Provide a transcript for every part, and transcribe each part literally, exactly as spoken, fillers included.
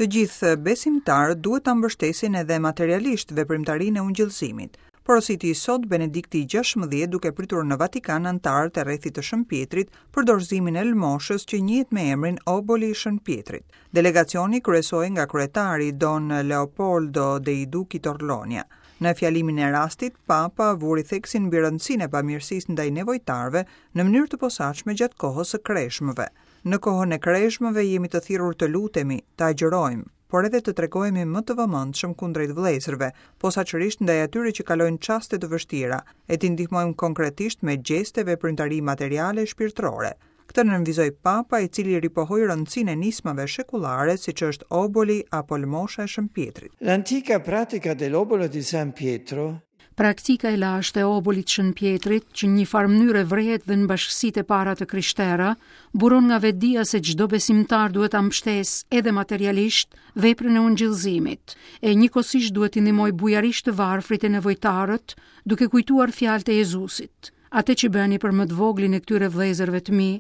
Të gjithë besimtarët duhet ta mbështesin edhe materialisht veprimtarinë e ungjillëzimit. Porositi sot Benedikti gjashtëmbëdhjetë duke pritur në Vatikan anëtarët e rrethit të Shën Pietrit për dorëzimin e lëmoshës që njihet me emrin Oboli i Shën Pietrit. Delegacioni kryesohej nga kryetari Don Leopoldo dei Duchi Torlonia. Në fjalimin e rastit, Papa vuri theksin mbi rëndësinë e bamirësisë ndaj nevojtarëve në mënyrë të posaçme gjatë kohës së kreshmëve. Në kohën e kreshmëve jemi të thirrur të lutemi, të agjërojmë, por edhe të tregohemi më të vëmendshëm kundrejt vëllezërve, posaçërisht ndaj atyre që kalojnë çaste të vështira, e t'i ndihmojmë konkretisht me gjeste, veprimtari materiale e shpirtërore. Këtë nënvizoi Papa, i cili ripohoi rëndësinë e nismave shekullare, siç është oboli apo lëmosha e Shën Pietrit. L'antica pratica dell'obolo di San Pietro. Praktika e lashtë e obolit Shën Pietrit, që në një farë mënyre vrehet dhe në bashkësitë e para të krishtera, buron nga vetëdija se çdo besimtar duhet ta mbështesë edhe materialisht veprën e ungjillëzimit, e njëkohësisht duhet t'i ndihmojë bujarisht të varfrit e nevojtarët, duke kujtuar fjalët e Jezusit: "Atë që bëni për më të voglin e këtyre vëllezërve të mi,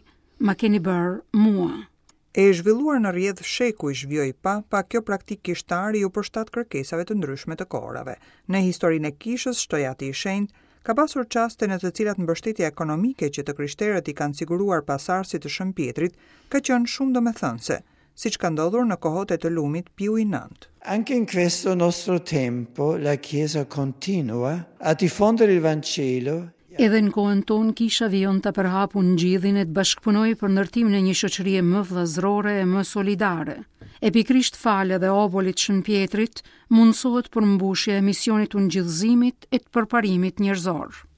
ma keni bërë mua." E zhvilluar në rrjedh shekujsh, vijoi Papa, kjo praktikë kishtare iu përshtat kërkesave të ndryshme të kohërave. Në historinë e kishës, shtoi Ati i Shenjtë, ka pasur çaste në të cilat mbështetja ekonomike që të krishterët i kanë siguruar pasardhësit të Shën Pietrit ka qenë shumë domethënëse, siç ka ndodhur në kohët e të lumit Piu i Nëntë. Anche in questo nostro tempo la Chiesa continua a diffondere il Vangelo. Edhe në kohën tonë kisha vijon ta përhapë ungjillin e të bashkëpunojë për ndërtimin e një shoqërie më vëllazërore e më solidare. E pikërisht falë edhe obolit Shën Pietrit mundësohet përmbushja e misionit ungjillëzimit e të përparimit njerëzor.